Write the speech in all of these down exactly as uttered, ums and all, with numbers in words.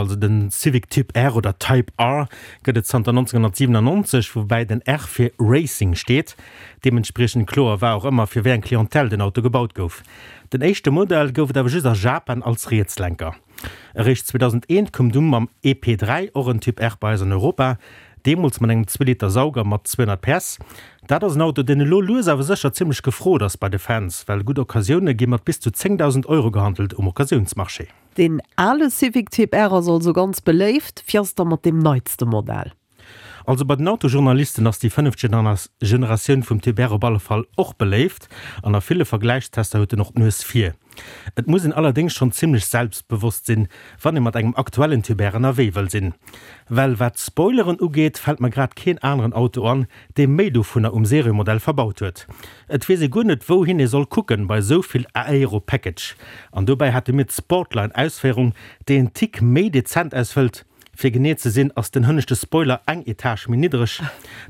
Also den Civic Typ R oder Type R gëtt et zanter nonzénghonnertsiwenannonzeg, woubäi den R fir Racing steet. Deementspriechend kloer war och ëmmer, fir wéi eng Clientèle den Auto gebaut gouf. Den éischte Modell gouf et awer just a Japan als Rietslenker. Eréischt zweedausendeent koum du mam E P dräi och en Typ R bei eis an Europa, deemools mat engem Zwee-Liter-Sauger mat zweehonnert P S. Dat ass en Auto, deen elo lues awer sécher zimmlech gefrot ass bei de Fans, well gutt Occasioune gi mat bis zu zéngdausend Euro gehandelt um Occasiounsmarché. Deen ale Civic Type R ass also ganz beléift. Wéi ass et da mat deem neitste Modell? Also bei den Autojournalisten ass déi fënneft Generatioun vum Type R op alle Fall och beléift an a ville Vergläichstester huet en och d'Nues vir. Et muss een allerdéngs schonn zimmlech selbstbewosst sinn, wann ee mat engem aktuellen Type R ënnerwee wëll sinn. Well wat d'Spoileren ugeet, fält mer grad keen aneren Auto an, dee méi dovunner um Seriemodell verbaut huet. Et weess ee guer net wouhin ee soll kucken bei esou vill Aero Package. An dobäi hate mir d'Sportline Ausféierung, déi en Tick méi dezent ausfëllt. Fir genee ze sinn ass den hënneschte Spoiler eng Etage méi niddereg.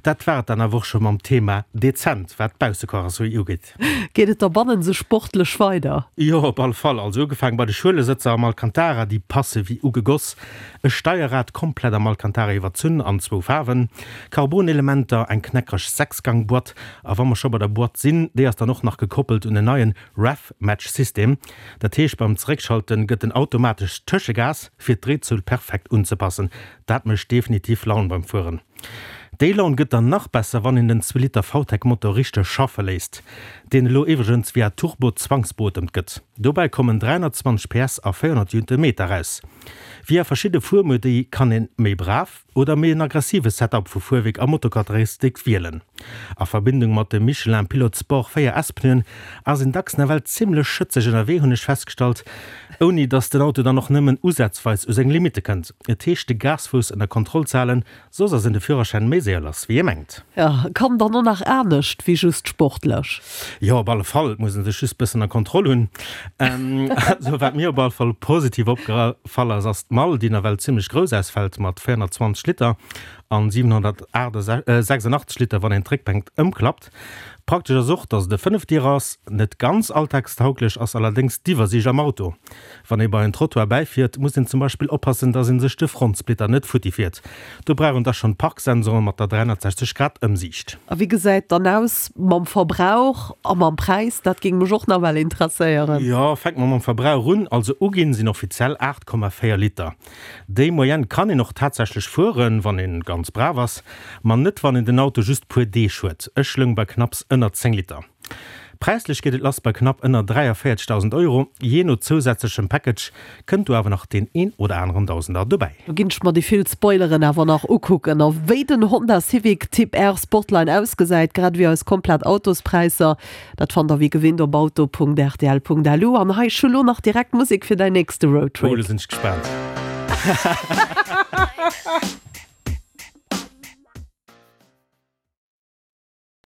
Dat war et dann awer och scho mam Thema dezent, wat d'Baussekarosserie ugeet. Geet et da bannen sou sportlech weider? Jo, op alle Fall. Also ugefaangen bei de Schuelesëtzer am Alcantara, déi passe wéi ugegoss. E Steierrad komplett am Alcantara iwwerzunn an zwou Faarwen, Carbon-Elementer, eng knackreg Sechsgang-Boîte a wa mer scho bei der Boîte sinn, déi ass dann och nach gekoppelt un en neien Rev-Match-System. Dat heescht, beim Zeréckschalten gëtt en automatesch Tëschegas, fir d'Dréizuel perfekt unzepassen. Dat mécht definitiv Laun beim Fueren. Déi Laun gëtt dann nach besser, wann een den zwee Liter VTEC-Motor richteg schaffe léisst, deen elo iwwregens via Turbo zwangsbeotemt gëtt. Dobäi kommen dräihonnertzwanzeg P S a véierhonnert Newtonmeter raus. Via verschidde Fuermodi kann een méi brav oder méi en aggressive Setup vu Fuerwierk a Motorcharakteristik wielen. A Verbindung mat de Michelin Pilot Sport véier S Pneuen ass een dacks nawell zimmlech schëtzeg ënnerwee, hunn ech festgestallt, ouni dass den Auto dann och nëmmen usazweis u seng Limitte kënnt. Et heescht de Gasfouss ënner Kontroll ze halen, Soss ass een de Führerschäin méi séier lass wéi ee mengt. Jo, kann dann och nach anescht wéi just sportlech. Jo, op alle Fall. Et muss een sech just bëssen a Kontroll hunn. Also wat mir op alle Fall positiv opgefall ass, ass d'Mall, déi nawell zimmlech grouss ausfält mat véierhonnertzwanzeg Liter an siwenhonnertsechsundachtzeg Liter wann een d'Réckbänk ëmklappt. Praktesch ass och, dass et e Fënnefdierer ass. Net ganz alltagstauglech ass allerdéngs d'Iwwersiicht am Auto. Wann ee bei en Trottoir bäifiert, muss een zum Beispill oppassen, dass ee sech de Frontsplitter net futti fiert. Do brauch een da schonn d'Parksensoren mat der dräihonnertsechzeg Grad Ëmsiicht. A wéi gesäit dann aus mam Verbrauch a mam Präis? Dat géing mech och nawell interesséieren. Jo, fänke mer mam Verbrauch un. Also uginn sinn offiziell aacht Komma véier Liter. Déi Moyenne kann een och tatsächlech fueren, wann een ganz brav ass, ma net wann een den Auto just puer Deeg huet. Ech loung bei knapps ënner zéng Liter. Präislech geet et lass bei knapp ënner dräiavéierzegdausend Euro. Jee no zousätzlechem Package kënnt do awer nach deen een oder aneren Dausender dobäi. Do ginn ech mer déi vill Spoileren awer nach ukucken. A wéi den Honda Civic Typ R Sportline ausgesäit, grad ewéi eis komplett Autospräisser, dat fannt der wéi gewinnt op auto Punkt R T L Punkt L U. An hei ech hu lo nach direkt Musek fir däin nächste Oh, Roadtrip. do sinn ech gespaant.